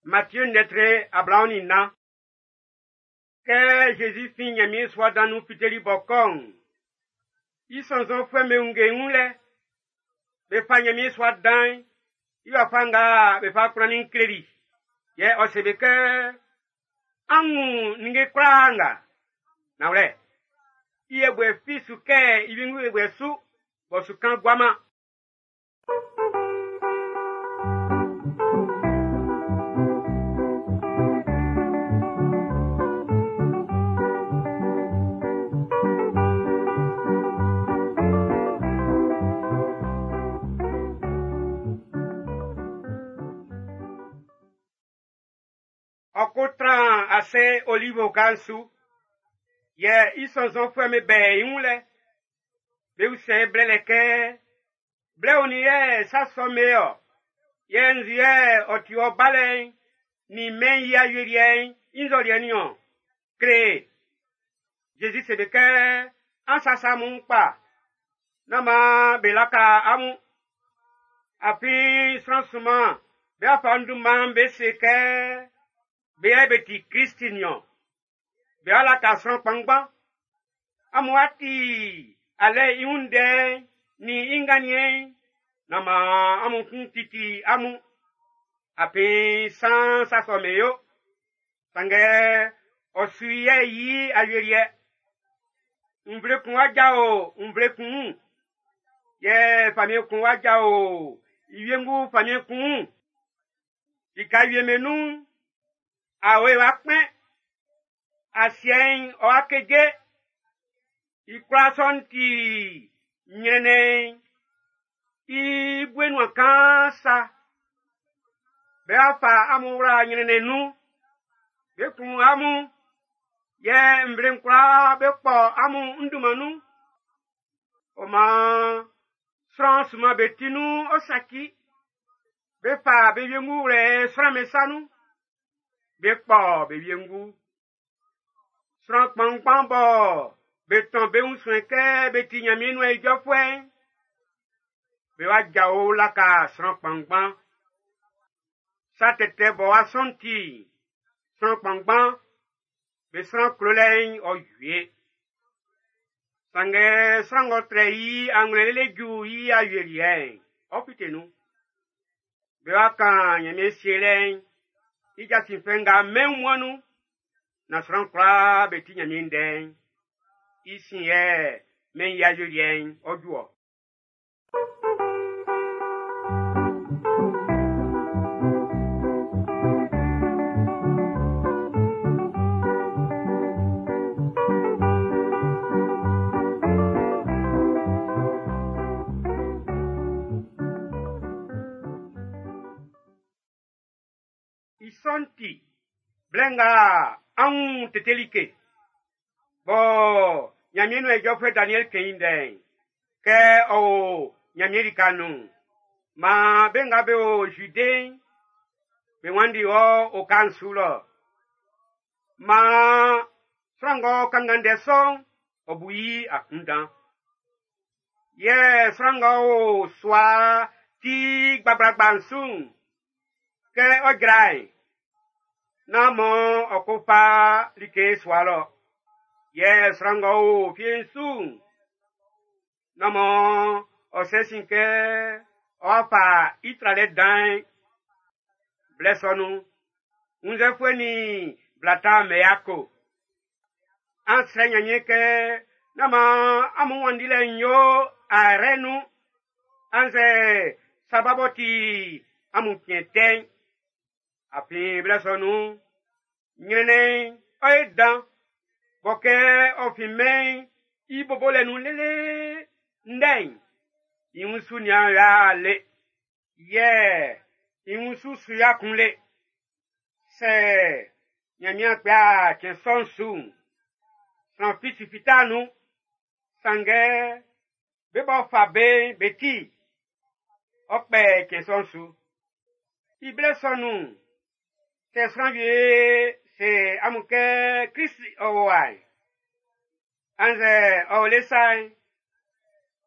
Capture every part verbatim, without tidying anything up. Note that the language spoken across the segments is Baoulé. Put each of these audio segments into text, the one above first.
Matthieu ndɛtre ablaɔn nin nnan. Kɛ Zezi fin Ɲanmiɛn sua dan nun fiteli b'ɔ kɔ'n, i sɔnnzɔnfuɛ'm be wunge i wun lɛ. Be fa Ɲanmiɛn sua dan'n i wafa nga be fa kplannin'n kleli. Yɛ ɔ se be kɛ, an wun ninnge kwlaa nga. Nanwlɛ, i yɛbuɛ fi su kɛ i wiengu yɛbuɛ su, b'ɔ su kan guaman. Ɔ ko tran ase Olive oka'n su. Yɛ i sɔnnzɔnfuɛ'm be bɛ i wun lɛ. Be usɛ i blɛlɛ kɛ, blɛ onin yɛ sa sɔ'n be ɔ? Yɛ nzu yɛ ɔ ti ɔ balɛ'n nin mɛn'n i awieliɛ'n i nzɔliɛ niɔn? Kle e. Zezi se be kɛ, an sasa amun kpa, nán maan be laka amun. Afin sran sunman be fa n dunman be se kɛ be yɛ be ti Kristi niɔn. Be laka sran kpanngban. Amun a ti alɛ i wun ndɛ'n nin i nganniɛn'n, nán maan amun kun titi amun. Afin san sa sɔ'n be yo. Sanngɛ ɔ su yɛ yi awieliɛ. Nvle kun wa jao nvle kun wun. Yɛ famiɛn kun wa jao i wiengu famiɛn kun wun. Lika wie be nun'n, awe wa kpɛn. Asiɛ'n ɔ wa keje. I kwlaa sɔ'n ti ɲrɛnnɛn'n i bue nuan kaan sa. Be wa fa amun wla ɲrɛnnɛn nun. Be kun amun. Yɛ nvle'n kwlaa be kpɔ amun n dunman nun. Ɔ maan sran sunman be ti nun ɔ saci. Be fa be wiengu wlɛ sran'm be sa nun. Be kpɔ be wiengu. Sran kpanngban bɔ be tɔn be wun suɛn kɛ be ti Ɲanmiɛn nuan ijɔfuɛ'n, be wa jao laka sran kpanngban. Sa tɛtɛ bɔ wa sɔn ti, sran kpanngban be sran klolɛ'n ɔ wie. Sanngɛ sran ng'ɔ trɛ i anwlɛn lele ju i awieliɛ'n, ɔ fite nun. Be wa kan Ɲanmiɛn sielɛ'n i jasin fɛ nga mɛn wunmuan'n nun, na sran kwlaa be ti Ɲanmiɛn ndɛ'n. I sin yɛ mɛn'n i awieliɛ'n ɔ ju ɔ. I sɔ'n ti, blɛ nga an wun tete like, bɔ Ɲanmiɛn nuan ijɔfuɛ Daniɛl kɛn i ndɛ'n, kɛ ɔ o Ɲanmiɛn lika nun'n, maan be nga be o Jude'n, be wanndi wɔ oka'n su lɔ. Maan sran ng'ɔ kanngan ndɛ sɔ'n, ɔ bu i akunndan. Yɛ sran ng'ɔ o sua ti gbagblagba'n su'n, kɛ ɔ jra'n, nán mɔ ɔ ko fa like sua lɔ. Yɛ sran ng'ɔ o fie'n su'n, nán mɔ ɔ sɛ sin kɛ ɔ wa fa i tralɛ dan'n. Blɛ sɔ nun'n, wunnzɛfuɛ nin bla ta'm be yako. An srɛ Ɲanmiɛn kɛ nán maan amun wanndilɛ'n yo ayrɛ nun, annzɛ saba b'ɔ ti amun cɛn tɛ'n. Afin blɛ sɔ nun'n, ɲrɛnnɛn'n ɔ ye dan, bɔ kɛ ɔ fin mɛn'n i bobolɛ nun lele ndɛ'n, i wun su nian ya le, yɛ i wun su su ya kun le. Sɛ Ɲanmiɛn kpɛ cɛn sɔ'n su'n, sran fi su fita nun. Sanngɛ be b'ɔ fa be'n be ti, ɔ kpɛ cɛn sɔ'n su. I blɛ sɔ nun'n, sɛ sran wie se amun kɛ Krist ɔ o wa'n, annzɛ ɔ o le sa'n,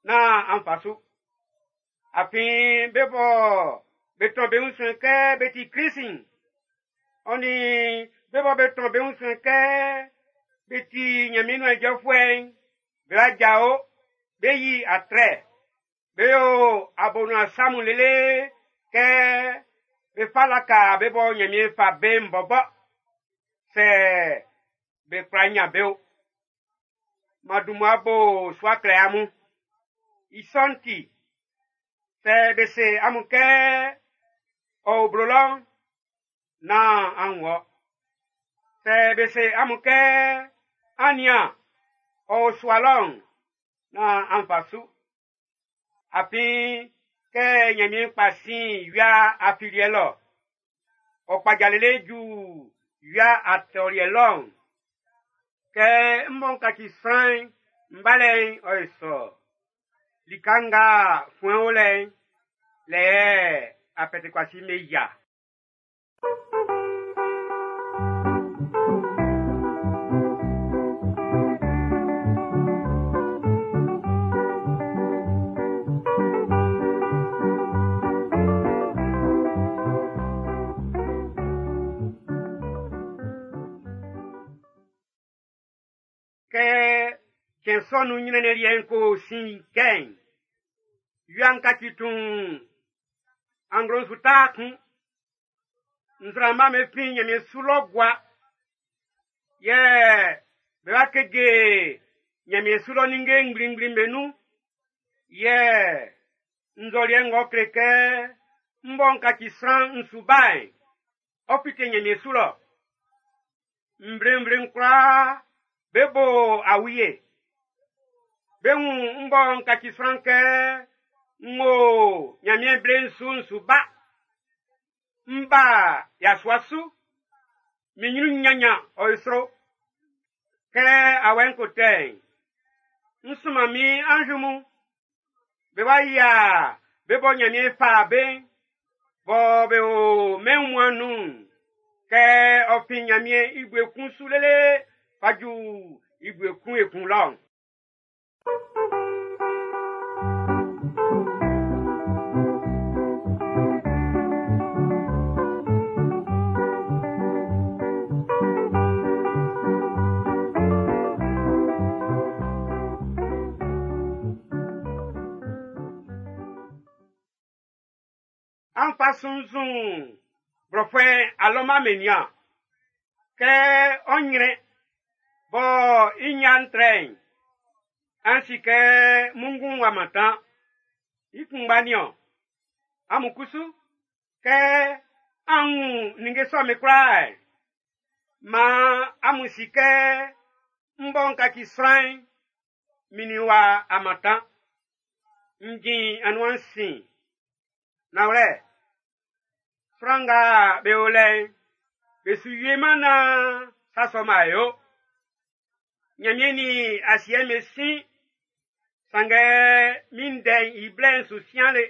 nán an fa su. Afin be bɔ be tɔn be wun suɛn kɛ be ti Krist'n, Ɔ nin be bɔ be tɔn be wun suɛn kɛ be ti Ɲanmiɛn nuan ijɔfuɛ'n, be wa jao, be yi atrɛ, be yo abonuan sa mun lele kɛ be fa laka be bɔ Ɲanmiɛn fa be'n bɔbɔ, sɛ be kwla ɲan be o. M'an dun mmua bo su a kle amun. I sɔ'n ti, sɛ be se amun kɛ ɔ o blo lɔ'n, nán an wɔ. Sɛ be se amun kɛ an nian, ɔ o sua lɔ'n, nán an fa su. Afin kɛ Ɲanmiɛn kpa sin wia afiliɛ lɔ, ɔ kpaja lele ju wia atɔliɛ lɔ'n, kɛ n bɔ n kaci sran'n, n balɛ'n ɔ ye sɔ. Lika nga fuɛn o lɛ'n, lɛ yɛ apɛtɛkuasi'm be yia. Kɛ cɛn sɔ'n nun ɲrɛnnɛn liɛ'n ko sin cɛ'n, wia'n kaci tuun, anglo'n su ta kun, nzraama'm be fin ɲanmiɛn su lɔ gua, yɛ be wa keje ɲanmiɛn su lɔ ninnge ngblingblin'm be nun, yɛ nzɔliɛ ng'ɔ kle kɛ n bɔ n kaci sran n su ba'n, ɔ fite ɲanmiɛn su lɔ. Nvlenvle'n kwlaa be bo awie. Be wun n bɔ n kaci sran kɛ n wo Ɲanmiɛn ble'n su n su ba. N ba yasua su. Min ɲrun ɲanɲan ɔ ye sro. Kɛ awɛ'n ko tɛ'n, n sunman min anzu mun. Be wa yia be bɔ Ɲanmiɛn fa be'n, bɔ be o mɛn wunmuan'n nun'n, kɛ ɔ fin Ɲanmiɛn i bue kun su lele fa ju i bue kun ekun lɔ'n. An fa sunnzun blɔfuɛ alɔman be nian. Kɛ ɔ ɲrɛn bɔ i ɲan'n trɛ'n, an si kɛ munngun'n w'a mantan. I kunngba niɔn. Amun kusu, kɛ an wun ninnge sɔ'm be kwlaa'n, maan amun si kɛ n bɔ n kaci sran'n, min nin w'a a mantan. N jin anuan'n sin. Nanwlɛ, sran nga be o lɛ'n, be su wieman naan sa sɔ'm a yo. Ɲanmiɛn nin asiɛ'n be sin, sanngɛ min ndɛ'n i blɛ'n su sian le.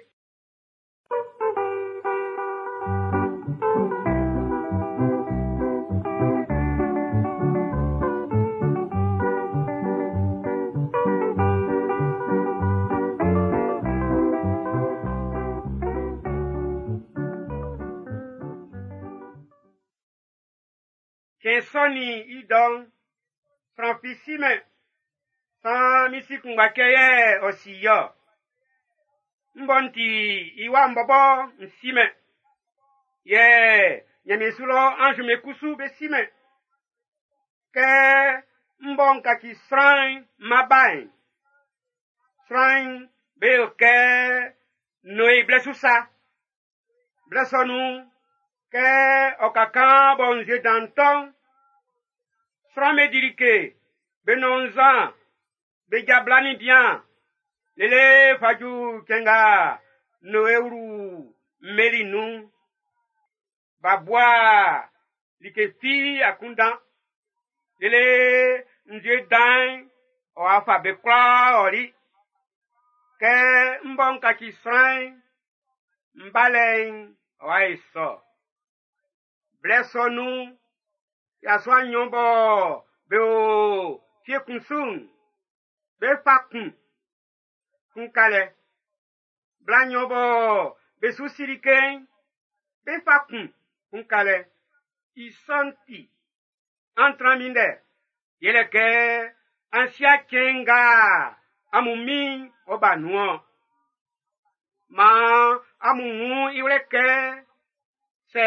Cɛn sɔ'n nin i dɔ'n, sran fi simɛn, saan min si kunngba cɛ yɛ ɔ si i-ɔ. N bɔ n ti i wa'n bɔbɔ n simɛn, yɛ Ɲanmiɛn su lɔ anz'm be kusu be simɛn. Kɛ n bɔ n kaci sran'n n ma ba'n, sran'n be yo kɛ Noe blɛ su sa. Blɛ sɔ nun'n, kɛ ɔ ka kan bɔ nzue dan'n tɔ'n, sran'm be di like, be nɔn nzan, be ja bla nin bian, lele fa ju cɛn nga Noe wlu mmeli nun'n. B'a bua like fi akunndan, lele nzue dan'n ɔ'a fa be kwlaa ɔli. Kɛ n bɔ n kaci sran'n, n balɛ'n ɔ'a ye sɔ. Blɛ sɔ nun'n, yasua nnyɔn bɔ be o fie kun su'n, be fa kun, kun ka lɛ. Bla nnyɔn bɔ be su si like'n, be fa kun, kun ka lɛ. I sɔ'n ti, an tran minndɛ, yɛlɛ kɛ an si'a cɛn nga amun Min'n ɔ ʼba nun-ɔn. Maan amun wun i wlɛ kɛ sɛ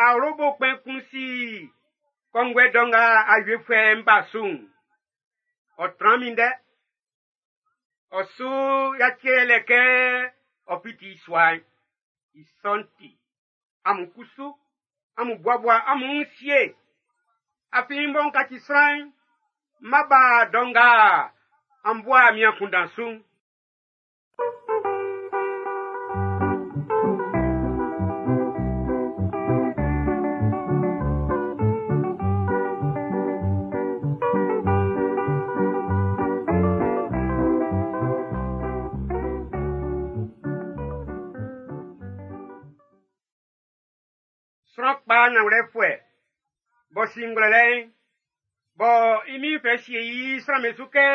awlobo kpɛn kun si kɔnguɛ dɔ nga awiefuɛ'n ba su'n, ɔ tran minndɛ. Ɔ su yaci i lɛ kɛ ɔ fiti i sua'n. I sɔ'n ti, amun kusu, amun buabua amun wun sie. Afin m bɔ n kaci sran'n, m ma ba dɔ nga an bua min akunndan su'n. Sran kpa nanwlɛfuɛ b'ɔ si ngwlɛlɛ'n, bɔ i min'n fɛ sie i sran'm be su kɛ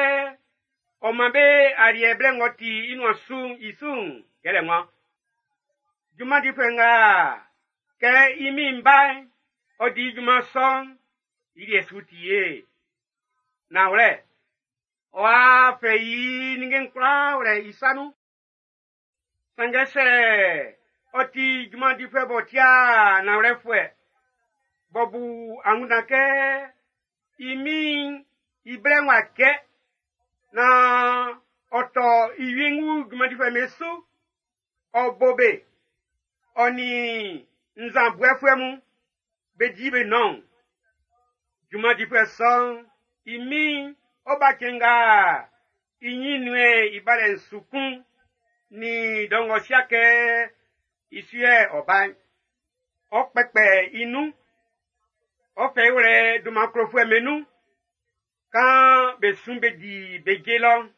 ɔ man be aliɛ blɛ ng'ɔ ti i nuan su'n i su'n yɛlɛ ŋwan. Junman difuɛ nga kɛ i min'n ba'n, ɔ di junman sɔ'n, i liɛ su ti ye. Nanwlɛ, ɔ'a fɛ i ninnge'n kwlaa wlɛ i sa nun. Sanngɛ sɛ ɔ ti junman difuɛ b'ɔ tia nanwlɛfuɛ, b'ɔ bu angunndan kɛ i min'n i blɛ'n w'a cɛ, naan ɔ tɔ i wiengu junman difuɛ'm be su, ɔ bo be, ɔ nin nzan buɛfuɛ mun, be di be nɔn. Junman difuɛ sɔ'n, i min'n ɔ ba cɛn nga i ɲin nuen i balɛ'n su kun, nin dɔ ng'ɔ sia kɛ i su yɛ ɔ ba'n. Ɔ kpɛkpɛ i nun, ɔ fɛ i wlɛ dunman klofuɛ'm be nun, kan be sun be di be je lɔ'n.